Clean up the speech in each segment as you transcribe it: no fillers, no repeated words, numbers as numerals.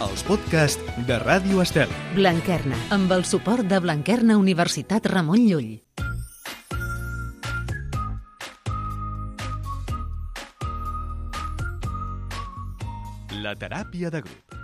els podcasts de Ràdio Estel. Blanquerna, amb el suport de Blanquerna Universitat Ramon Llull. La teràpia de grup.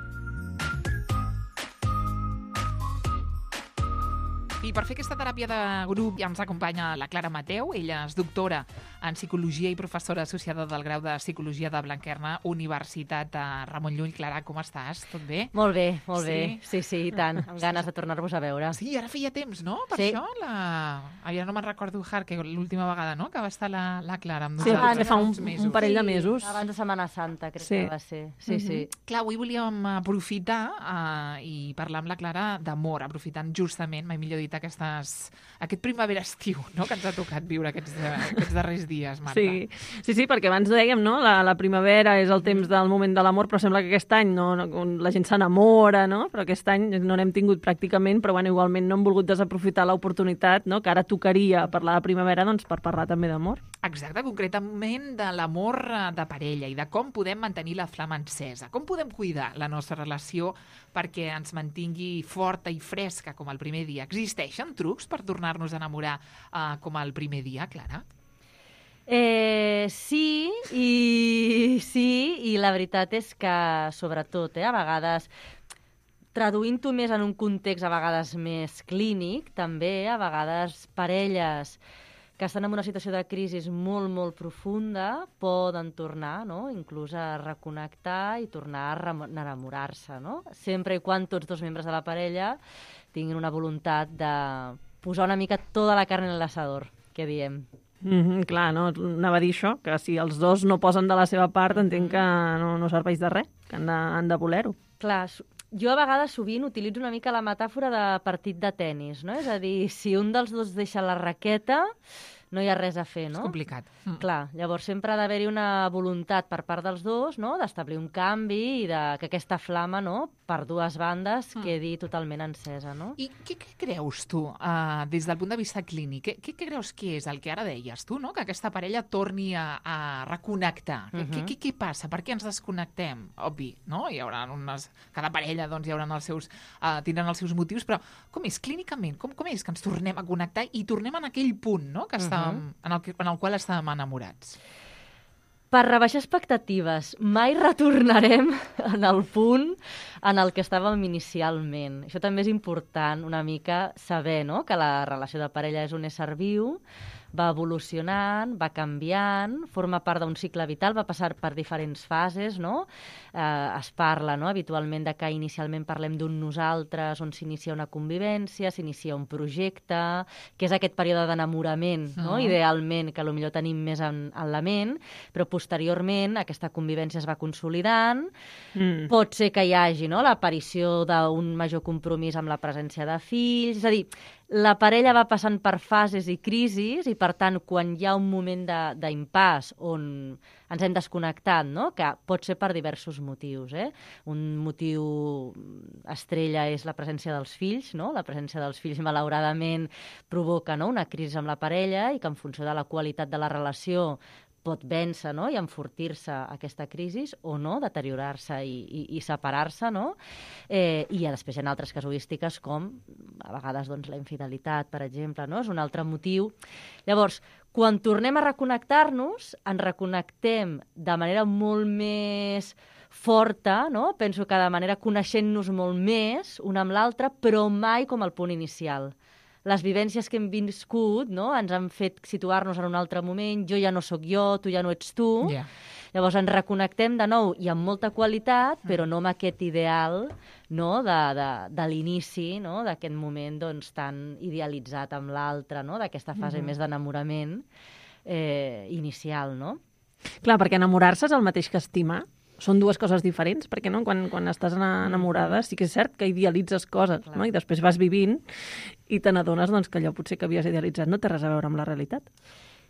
I per fer aquesta teràpia de grup ja ens acompanya la Clara Mateu. Ella és doctora en Psicologia i professora associada del grau de Psicologia de Blanquerna, Universitat Ramon Llull. Clara, com estàs? Tot bé? Molt bé, molt bé. Sí, i tant. Amb ganes de tornar-vos a veure. Sí, ara feia temps, no? Per sí. això, ja no me'n recordo, que l'última vegada, no?, que va estar la Clara amb sí, nosaltres. fa un parell de mesos. Sí, abans de Setmana Santa, crec que va ser. Sí. Clar, avui volíem aprofitar i parlar amb la Clara d'amor, aprofitant justament, mai millor dit, aquest primavera-estiu, no?, que ens ha tocat viure aquests darrers dies, Marta. Sí, perquè abans dèiem, no?, la primavera és el temps del moment de l'amor, però sembla que aquest any la gent s'enamora, no?, però aquest any no n'hem tingut pràcticament, però bueno, igualment no hem volgut desaprofitar l'oportunitat, no?, que ara tocaria parlar de primavera, doncs per parlar també d'amor. Exacte, concretament de l'amor de parella i de com podem mantenir la flama encesa, com podem cuidar la nostra relació perquè ens mantingui forta i fresca com el primer dia. Existeixen trucs per tornar-nos a enamorar com el primer dia, Clara? Sí, i la veritat és que, sobretot, a vegades, traduint-ho més en un context a vegades més clínic, també, a vegades, parelles que estan en una situació de crisi molt, molt profunda poden tornar, no?, inclús a reconnectar i tornar a enamorar-se, no?, sempre i quan tots dos membres de la parella tinguin una voluntat de posar una mica tota la carn en l'assador, que diem. Clar, no? Anava a dir això, que si els dos no posen de la seva part, entenc que no serveix de res, que han de voler-ho. Clar, jo a vegades sovint utilitzo una mica la metàfora de partit de tennis, no? És a dir, si un dels dos deixa la raqueta, no hi ha res a fer, no? És complicat. Clar, llavors sempre ha d'haver-hi una voluntat per part dels dos, no?, d'establir un canvi i que aquesta flama, no?, per dues bandes quedi totalment encesa, no? I què creus tu, des del punt de vista clínic? Què creus que és el que ara deies tu, no?, que aquesta parella torni a reconnectar? Què passa? Per què ens desconnectem? Obvi, no? Hi haurà cada parella doncs, tindran els seus motius, però com és clínicament? Com és que ens tornem a connectar i tornem en aquell punt, no?, que en el qual estàvem enamorats? Per rebaixar expectatives, mai retornarem en el punt en el que estàvem inicialment. Això també és important una mica saber, no?, que la relació de parella és un ésser viu, va evolucionant, va canviant, forma part d'un cicle vital, va passar per diferents fases, no? Es parla, no?, habitualment de que inicialment parlem d'un nosaltres, on s'inicia una convivència, s'inicia un projecte, que és aquest període d'enamorament, no?, idealment, que potser tenim més en la ment, però posteriorment aquesta convivència es va consolidant, pot ser que hi hagi, no?, l'aparició d'un major compromís amb la presència de fills, és a dir, la parella va passant per fases i crisis i, per tant, quan hi ha un moment d'impàs on ens hem desconnectat, no?, que pot ser per diversos motius. Un motiu estrella és la presència dels fills, no? La presència dels fills, malauradament, provoca, no?, una crisi amb la parella i que, en funció de la qualitat de la relació, pot vèncer, no?, i enfortir-se aquesta crisi o no, deteriorar-se i separar-se, no? I després hi ha altres casuístiques com, a vegades, doncs, la infidelitat, per exemple, no? És un altre motiu. Llavors, quan tornem a reconnectar-nos, ens reconnectem de manera molt més forta, no? Penso que de manera coneixent-nos molt més una amb l'altra, però mai com el punt inicial. Les vivències que hem viscut, no?, ens han fet situar-nos en un altre moment, jo ja no sóc jo, tu ja no ets tu. Yeah. Llavors ens reconnectem de nou i amb molta qualitat, però no amb aquest ideal, no?, de l'inici, no?, d'aquest moment doncs, tan idealitzat amb l'altre, no?, d'aquesta fase més d'enamorament inicial, no? Clar, perquè enamorar-se és el mateix que estimar. Són dues coses diferents, perquè no? Quan estàs enamorada sí que és cert que idealitzes coses, no? I després vas vivint i te n'adones doncs, que allò potser que havies idealitzat no té res a veure amb la realitat.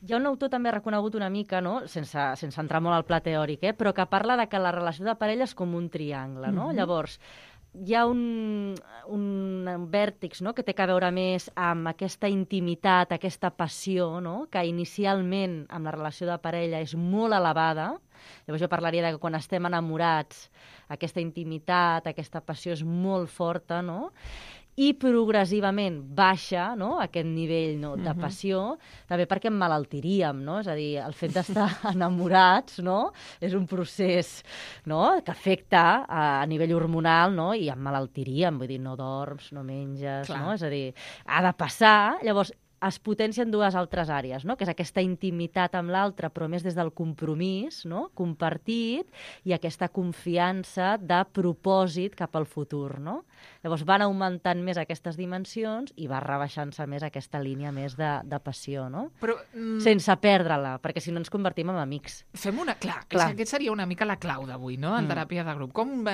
Hi ha un autor també reconegut una mica, no?, sense entrar molt al pla teòric, però que parla de que la relació de parella és com un triangle, no? Llavors, hi ha un vèrtex, no?, que té a veure més amb aquesta intimitat, aquesta passió, no?, que inicialment amb la relació de parella és molt elevada, Llavors jo parlaria de que quan estem enamorats aquesta intimitat, aquesta passió és molt forta, no? I progressivament baixa, no?, aquest nivell, no?, de passió, també perquè emmalaltiríem, no? És a dir, el fet d'estar enamorats, no?, és un procés, no?, que afecta a nivell hormonal, no?, i emmalaltiríem, vull dir, no dorms, no menges, Clar. no? És a dir, ha de passar, llavors es potencien dues altres àrees, no?, que és aquesta intimitat amb l'altre, però més des del compromís, no?, compartit, i aquesta confiança de propòsit cap al futur, no? Llavors van augmentant més aquestes dimensions i va rebaixant-se més aquesta línia més de passió, no? Però Sense perdre-la, perquè si no ens convertim en amics. fem una... Clar, Clar. aquest seria una mica la clau d'avui, no?, en teràpia de grup. Com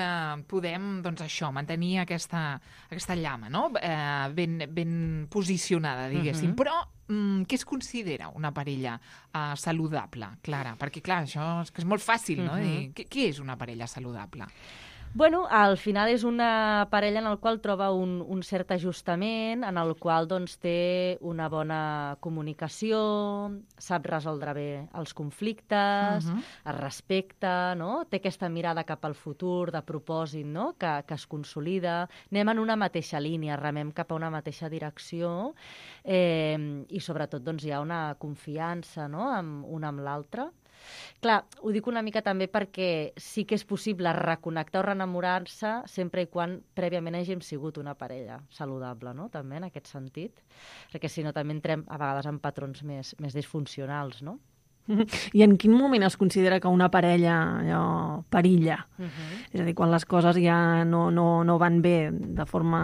podem, doncs, això, mantenir aquesta llama, no?, ben posicionada, diguéssim. Però què es considera una parella saludable, Clara? Perquè, clar, això és que és molt fàcil, no?, dir, què és una parella saludable? Bueno, al final és una parella en la qual troba un cert ajustament, en el qual doncs, té una bona comunicació, sap resoldre bé els conflictes, es respecta, no? Té aquesta mirada cap al futur, de propòsit, no?, que es consolida. Anem en una mateixa línia, remem cap a una mateixa direcció i sobretot doncs, hi ha una confiança, no?, un amb l'altre. Clar, ho dic una mica també perquè sí que és possible reconnectar o reenamorar-se sempre i quan prèviament hàgim sigut una parella saludable, no?, també en aquest sentit, perquè si no també entrem a vegades en patrons més disfuncionals, no? I en quin moment es considera que una parella allò, perilla? És a dir, quan les coses ja no van bé de forma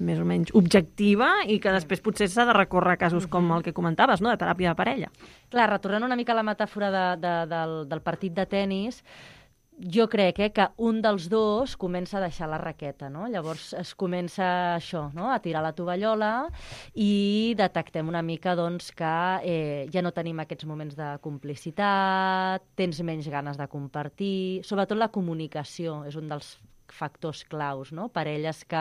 més o menys objectiva i que després potser s'ha de recórrer a casos com el que comentaves, no?, de teràpia de parella. Clar, retornant una mica a la metàfora del partit de tennis, jo crec que un dels dos comença a deixar la raqueta, no? Llavors es comença això, no?, a tirar la tovallola i detectem una mica doncs, que ja no tenim aquests moments de complicitat, tens menys ganes de compartir, sobretot la comunicació és un dels factors claus, no? Parelles que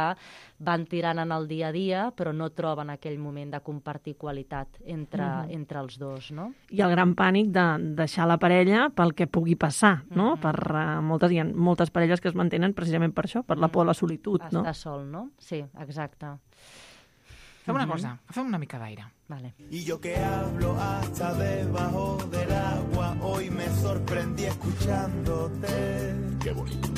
van tirant en el dia a dia però no troben aquell moment de compartir qualitat entre els dos, no? I el gran pànic de deixar la parella pel que pugui passar, no? Hi ha moltes parelles que es mantenen precisament per això, per la por a la solitud, no? Estar sol, no? Sí, exacte. Fem una cosa, fem una mica d'aire. Vale. Y yo que hablo hasta debajo del agua, hoy me sorprendí escuchándote. Qué bonito.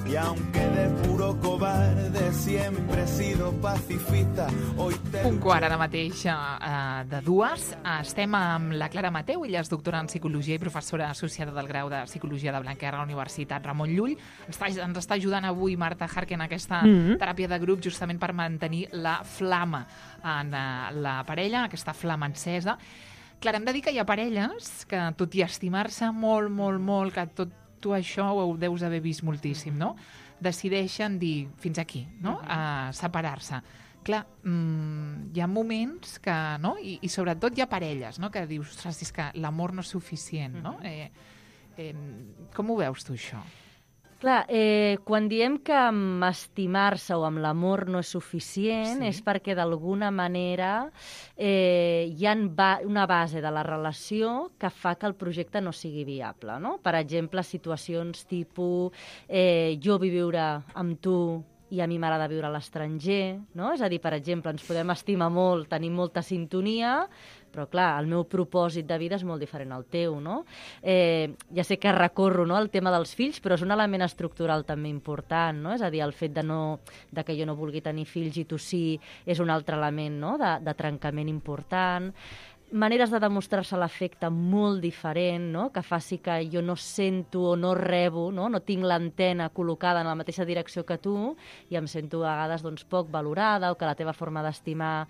Y aunque de puro cobarde siempre he sido pacifista, hoy te... Un quart ara mateix de dues. Estem amb la Clara Mateu, ella és doctora en Psicologia i professora associada del grau de Psicologia de Blanquerna a la Universitat Ramon Llull. Ens està ajudant avui Marta Harken en aquesta teràpia de grup justament per mantenir la flama en la parella, aquesta flama encesa. Clara, hem de dir que hi ha parelles que, tot i estimar-se molt, molt, molt, que tot tu això ho deus haver vist moltíssim, no? Decideixen dir fins aquí, no?, a separar-se. Clar, hi ha moments que, no?, i sobretot hi ha parelles, no?, que dius, ostres, és que l'amor no és suficient, no? Com ho veus tu, això? Clar, quan diem que amb estimar-se o amb l'amor no és suficient, és perquè d'alguna manera hi ha una base de la relació que fa que el projecte no sigui viable, no? Per exemple, situacions tipus jo vull viure amb tu i a mi m'agrada viure a l'estranger, no? És a dir, per exemple, ens podem estimar molt, tenim molta sintonia, però clar, el meu propòsit de vida és molt diferent al teu, no? Ja sé que recorro, no?, al tema dels fills, però és un element estructural també important, no? És a dir, el fet de que jo no vulgui tenir fills i tu sí és un altre element, no?, de trencament important. Maneres de demostrar-se l'afecte molt diferent, no?, que faci que jo no sento o no rebo, no tinc l'antena col·locada en la mateixa direcció que tu i em sento a vegades doncs, poc valorada o que la teva forma d'estimar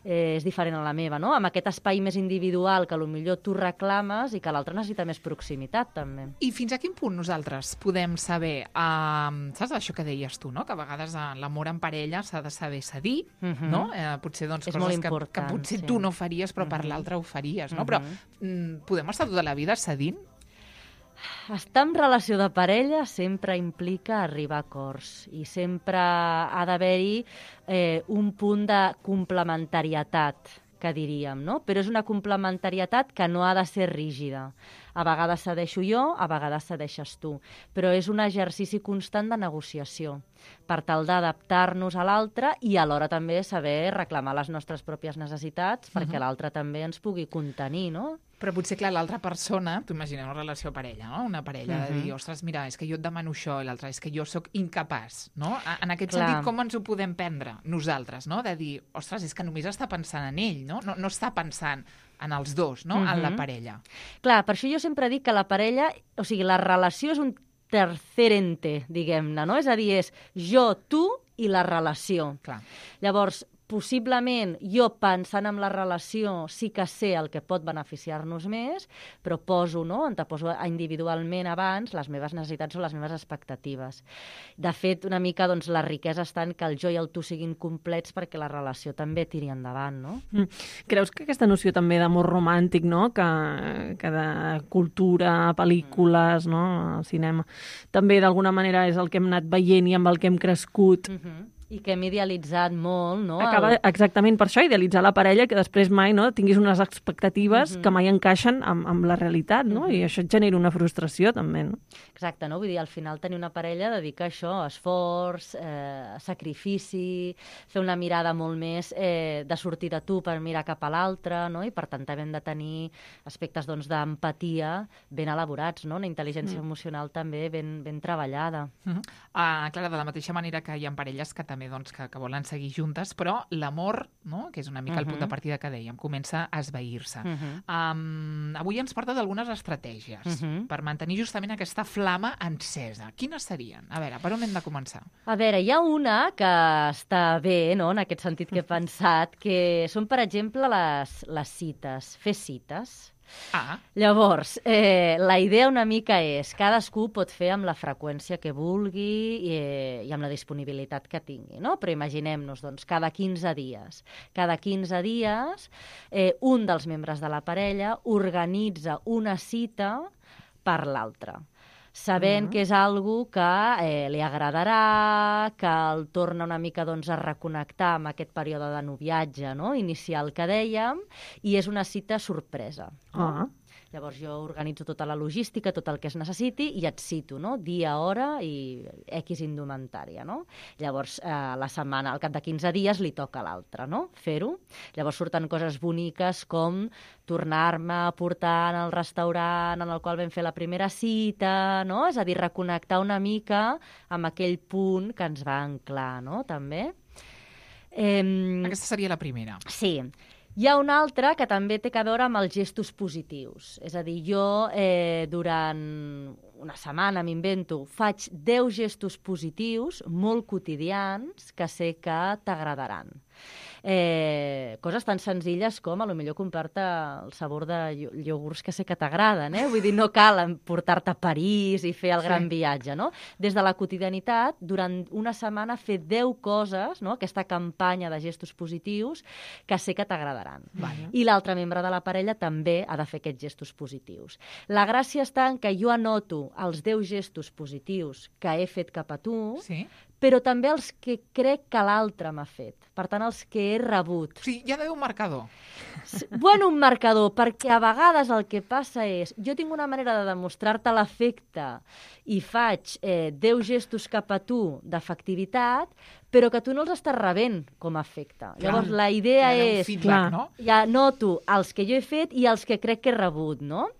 és diferent a la meva, no? Amb aquest espai més individual que potser tu reclames i que l'altre necessita més proximitat, també. I fins a quin punt nosaltres podem saber, saps això que deies tu, no?, que a vegades l'amor en parella s'ha de saber cedir, no? Potser doncs, és coses molt important, que potser sí. tu no faries, però per l'altre ho faries, no? Però podem estar tota la vida cedint? Estar en relació de parella sempre implica arribar a acords i sempre ha d'haver-hi un punt de complementarietat que diríem, no? Però és una complementarietat que no ha de ser rígida. A vegades cedeixo jo, a vegades cedeixes tu. Però és un exercici constant de negociació per tal d'adaptar-nos a l'altre i alhora també saber reclamar les nostres pròpies necessitats perquè l'altre també ens pugui contenir, no? Però potser, clar, l'altra persona, t'ho imaginem una relació parella, no? Una parella de dir, ostres, mira, és que jo et demano això, i l'altre és que jo sóc incapaç, no? En aquest sentit, com ens ho podem prendre nosaltres, no? De dir, ostres, és que només està pensant en ell, no? No està pensant en els dos, no? En la parella. Clar, per això jo sempre dic que la parella, o sigui, la relació és un tercer ente, diguem-ne, no? És a dir, és jo, tu i la relació. Clar. Llavors, possiblement jo pensant en la relació sí que sé el que pot beneficiar-nos més, però anteposo individualment abans les meves necessitats o les meves expectatives. De fet, una mica la riquesa està en que el jo i el tu siguin complets perquè la relació també tiri endavant, no? Creus que aquesta noció també d'amor romàntic, no? que de cultura, pel·lícules, no? El cinema, també d'alguna manera és el que hem anat veient i amb el que hem crescut, I que hem idealitzat molt, no? Acaba exactament per això, idealitzar la parella, que després mai tinguis unes expectatives que mai encaixen amb la realitat, no? I això et genera una frustració, també, no? Exacte, no? Vull dir, al final tenir una parella dedica a això, esforç, sacrifici, fer una mirada molt més de sortir de tu per mirar cap a l'altre, no? I per tant també hem de tenir aspectes d'empatia ben elaborats, no? Una intel·ligència emocional també ben treballada. Clar, de la mateixa manera que hi ha parelles que també que volen seguir juntes, però l'amor, no? Que és una mica el punt de partida que dèiem, comença a esvair-se. Avui ens porta d'algunes estratègies per mantenir justament aquesta flama encesa. Quines serien? A veure, per on hem de començar? A veure, hi ha una que està bé, no? En aquest sentit que he pensat, que són, per exemple, les cites, fer cites. Llavors, la idea una mica és cadascú pot fer amb la freqüència que vulgui i amb la disponibilitat que tingui, no? Però imaginem-nos, doncs, cada 15 dies. Cada 15 dies, un dels membres de la parella organitza una cita per l'altre, sabent que és algo que li agradarà, que el torna una mica a reconnectar amb aquest període de noviatge, no? Inicial que dèiem, i és una cita sorpresa. Llavors jo organitzo tota la logística, tot el que es necessiti, i et cito, no? Dia, hora i X indumentària, no? Llavors, la setmana, al cap de 15 dies, li toca a l'altre, no? Fer-ho. Llavors surten coses boniques com tornar-me a portar al restaurant en el qual vam fer la primera cita, no? És a dir, reconnectar una mica amb aquell punt que ens va anclar, no? També. Aquesta seria la primera. Sí. Hi ha una altra que també té a veure amb els gestos positius. És a dir, jo durant una setmana, m'invento, faig 10 gestos positius molt quotidians que sé que t'agradaran. Coses tan senzilles com a lo millor comprar-te el sabor de iogurts que sé que t'agraden, Vull dir, no cal portar-te a París i fer el gran viatge, no? Des de la quotidianitat, durant una setmana fer 10 coses, no? Aquesta campanya de gestos positius que sé que t'agradaran. I l'altre membre de la parella també ha de fer aquests gestos positius. La gràcia està en que jo anoto els 10 gestos positius que he fet cap a tu, però també els que crec que l'altre m'ha fet. Per tant, els que he rebut. Sí, hi ha d'haver un marcador. Bueno, un marcador, perquè a vegades el que passa és... Jo tinc una manera de demostrar-te l'afecte i faig 10 gestos cap a tu d'afectivitat, però que tu no els estàs rebent com a afecte. Llavors, la idea és... Feedback, no? Ja noto els que jo he fet i els que crec que he rebut, no?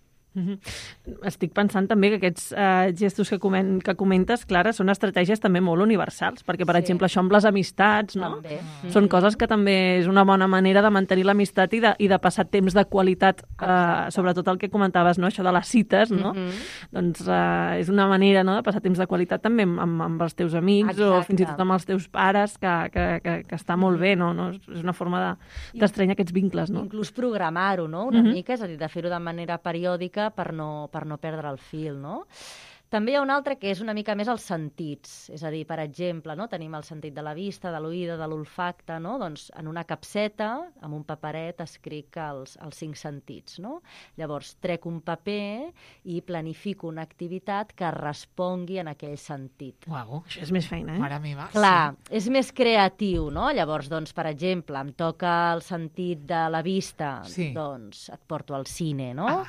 Estic pensant també que aquests gestos que comentes, Clara, són estratègies també molt universals, perquè, per exemple, això amb les amistats, no? Són coses que també és una bona manera de mantenir l'amistat i de passar temps de qualitat, sobretot el que comentaves, no? Això de les cites, no? Doncs és una manera, no?, de passar temps de qualitat també amb els teus amics o fins i tot amb els teus pares, que està molt bé, no? És una forma d'estrenyar aquests vincles, no? Inclús programar-ho, no?, una mica, és a dir, de fer-ho de manera periòdica per no perdre el fil, no? També hi ha un altre que és una mica més els sentits, és a dir, per exemple, no? Tenim el sentit de la vista, de l'oïda, de l'olfacte, no? Doncs en una capseta, amb un paperet, escric els 5 sentits, no? Llavors, trec un paper i planifico una activitat que respongui en aquell sentit. Uau, Això és més feina, mare meva. Clar, és més creatiu, no? Llavors, doncs, per exemple, em toca el sentit de la vista, doncs et porto al cine, no?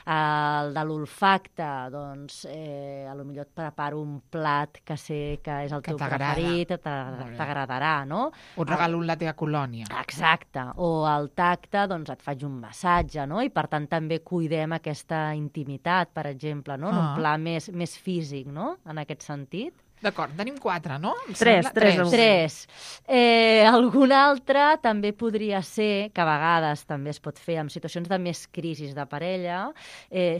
El de l'olfacte, doncs, potser et preparo un plat que sé que és el teu preferit, t'agradarà, no? O et regalo la teva colònia. Exacte. O al tacte, doncs, et faig un massatge, no? I, per tant, també cuidem aquesta intimitat, per exemple, no? En un pla més físic, no? En aquest sentit. D'acord, tenim 4, no? 3. Algun altre també podria ser, que a vegades també es pot fer en situacions de més crisis de parella,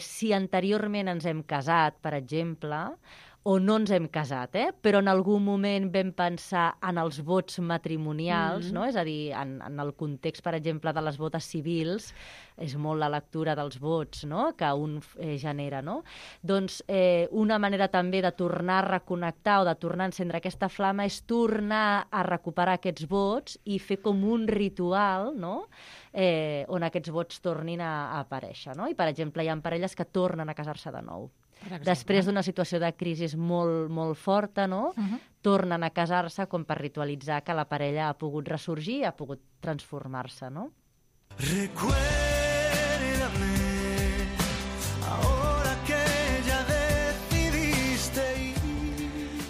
si anteriorment ens hem casat, per exemple, o no ens hem casat, però en algun moment vam pensar en els vots matrimonials, no? És a dir, en el context, per exemple, de les bodes civils, és molt la lectura dels vots, no? Que un genera, no? Doncs una manera també de tornar a reconnectar o de tornar a encendre aquesta flama és tornar a recuperar aquests vots i fer com un ritual, no? On aquests vots tornin a aparèixer, no? I, per exemple, hi ha parelles que tornen a casar-se de nou. Després d'una situació de crisi molt, molt forta, no? Tornen a casar-se com per ritualitzar que la parella ha pogut ressorgir i ha pogut transformar-se, no? Recuérdame ahora que ya decidiste ir.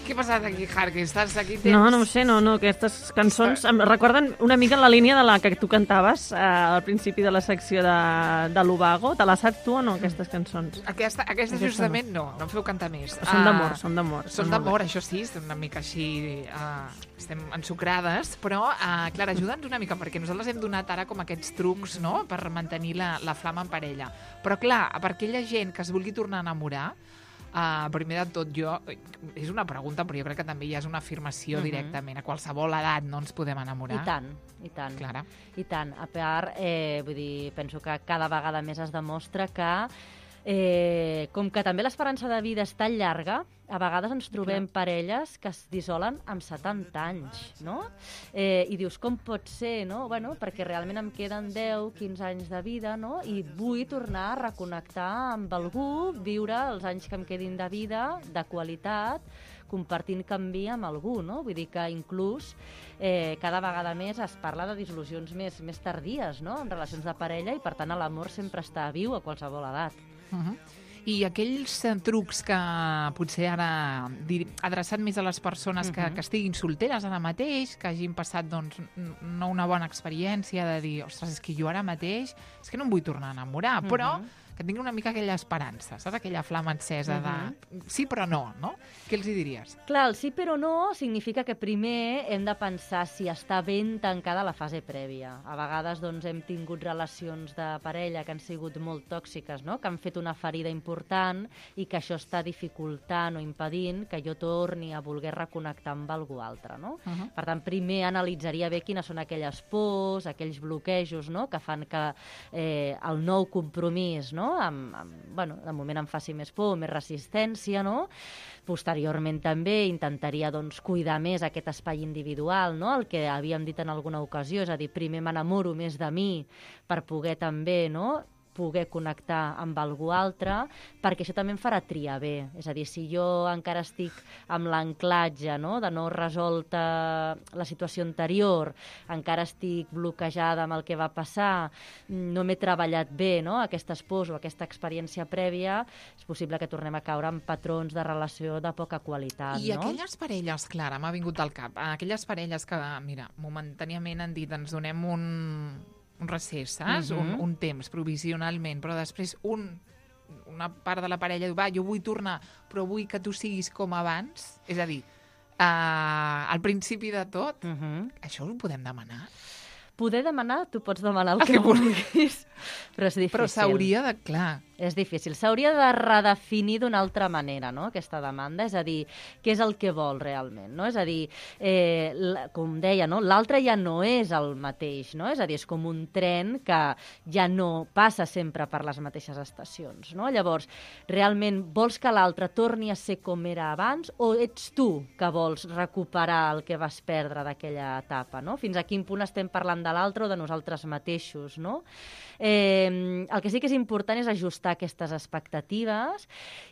Què ha passat aquí, Harky? Estàs aquí temps? No ho sé, no. Aquestes cançons em recorden una mica la línia de la que tu cantaves al principi de la secció de l'Ubago. Te la saps tu o no, aquestes cançons? Aquesta justament no em feu cantar més. Són d'amor, són d'amor. Són d'amor, això sí, estem una mica així, estem ensucrades, però, Clara, ajuda'ns una mica, perquè nosaltres hem donat ara com aquests trucs, no?, per mantenir la flama en parella. Però, clar, per aquella gent que es vulgui tornar a enamorar, primer de tot, és una pregunta, però jo crec que també ja és una afirmació directament. A qualsevol edat no ens podem enamorar. I tant. Clara. I tant. A part, vull dir, penso que cada vegada més es demostra que com que també l'esperança de vida és tan llarga, a vegades ens trobem parelles que es dissolen amb 70 anys, no? I dius, com pot ser, no? Bueno, perquè realment em queden 10, 15 anys de vida, no? I vull tornar a reconnectar amb algú, viure els anys que em quedin de vida, de qualitat, compartint canvi amb algú, no? Vull dir que inclús cada vegada més es parla de dissolucions més tardies, no?, en relacions de parella, i per tant l'amor sempre està viu a qualsevol edat. I aquells trucs que potser ara adreçat més a les persones que estiguin solteres ara mateix, que hagin passat doncs, no una bona experiència de dir, ostres, és que jo ara mateix és que no em vull tornar a enamorar, però que tingui una mica aquella esperança, saps? Aquella flama encesa de sí però no, no? Què els hi diries? Clar, el sí però no significa que primer hem de pensar si està ben tancada la fase prèvia. A vegades doncs, hem tingut relacions de parella que han sigut molt tòxiques, no?, que han fet una ferida important i que això està dificultant o impedint que jo torni a voler reconnectar amb algú altre, no? Per tant, primer analitzaria bé quines són aquelles pors, aquells bloquejos, no?, que fan que el nou compromís, no?, de moment em faci més por, més resistència, no? Posteriorment també intentaria doncs, cuidar més aquest espai individual, no?, el que havíem dit en alguna ocasió, és a dir, primer m'enamoro més de mi per poder també, no?, poder connectar amb algú altre, perquè això també em farà triar bé. És a dir, si jo encara estic amb l'anclatge, no?, de no resolta la situació anterior, encara estic bloquejada amb el que va passar, no m'he treballat bé, no?, aquestes pors o aquesta experiència prèvia, és possible que tornem a caure en patrons de relació de poca qualitat, I no? aquelles parelles, Clara, m'ha vingut al cap, aquelles parelles que, mira, momentàniament han dit, ens donem un recés, saps? Un temps, provisionalment, però després una part de la parella diu, va, jo vull tornar, però vull que tu siguis com abans. És a dir, al principi de tot, això ho podem demanar? Poder demanar, tu pots demanar el que vulguis, però és difícil. Però s'hauria de, clar, És difícil. S'hauria de redefinir d'una altra manera, no?, aquesta demanda. És a dir, què és el que vol realment, no? És a dir, com deia, no?, l'altre ja no és el mateix, no? És a dir, és com un tren que ja no passa sempre per les mateixes estacions, no? Llavors, realment vols que l'altre torni a ser com era abans o ets tu que vols recuperar el que vas perdre d'aquella etapa, no? Fins a quin punt estem parlant de l'altre o de nosaltres mateixos, no? El que sí que és important és ajustar aquestes expectatives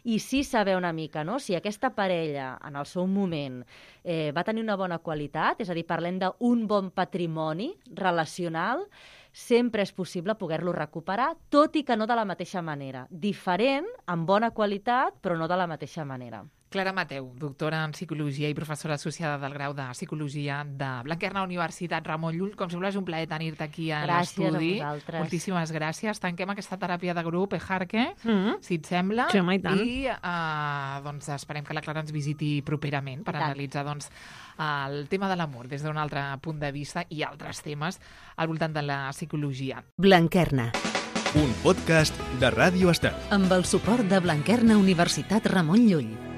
i sí saber una mica, no?, si aquesta parella en el seu moment va tenir una bona qualitat, és a dir, parlem d'un bon patrimoni relacional, sempre és possible poder-lo recuperar, tot i que no de la mateixa manera. Diferent, amb bona qualitat, però no de la mateixa manera. Clara Mateu, doctora en Psicologia i professora associada del grau de Psicologia de Blanquerna Universitat Ramon Llull. Com sempre, és un plaer tenir-te aquí a l'estudi. Gràcies a vosaltres. Moltíssimes gràcies. Tanquem aquesta teràpia de grup, Ejarque, si et sembla. Sí, home, i tant. I doncs, esperem que la Clara ens visiti properament per analitzar doncs, el tema de l'amor des d'un altre punt de vista i altres temes al voltant de la psicologia. Blanquerna, Un podcast de Ràdio Estel. amb el suport de Blanquerna Universitat Ramon Llull.